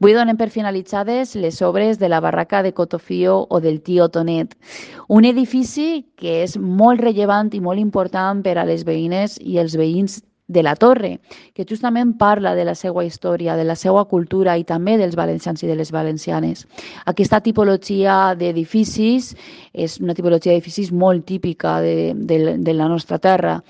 Avui donem per finalitzades les obres de la barraca de Cotofio o del Tio Tonet, un edifici que és molt rellevant i molt important per a les veïnes i els veïns de la Torre, que justament parla de la seva història, de la seva cultura i també dels valencians i de les valencianes. Aquesta tipologia d'edificis és una tipologia d'edificis molt típica de la nostra terra.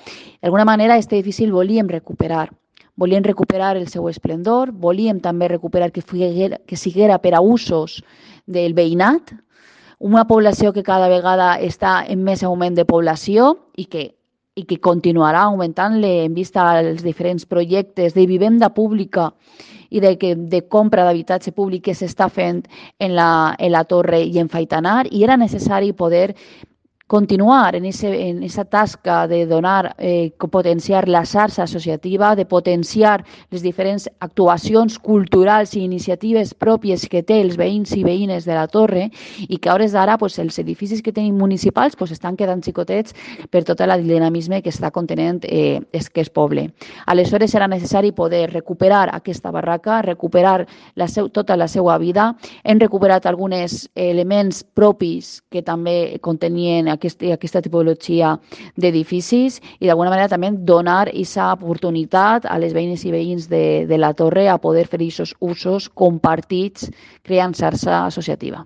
D'alguna manera, aquest edifici el volíem recuperar. Volíem recuperar el seu esplendor, volíem també recuperar que siguera per a usos del veïnat, una població que cada vegada està en més augment de població i que continuarà augmentant en vista als diferents projectes de vivenda pública i de compra d'habitatge públic que s'està fent en la Torre i en Faitanar, i era necessari poder continuar en esa tasca de donar, potenciar la xarxa associativa, de potenciar les diferents actuacions culturals i iniciatives pròpies que té els veïns i veïnes de la Torre i que a hores d'ara els edificis que tenim municipals estan quedant xicotets per tot el dinamisme que està contenent aquest poble. Aleshores era necessari poder recuperar aquesta barraca, recuperar tota la seva vida. Hem recuperat alguns elements propis que també contenien aquesta tipologia d'edificis i d'alguna manera també donar aquesta oportunitat a les veïnes i veïns de la Torre a poder fer aquests usos compartits creant xarxa associativa.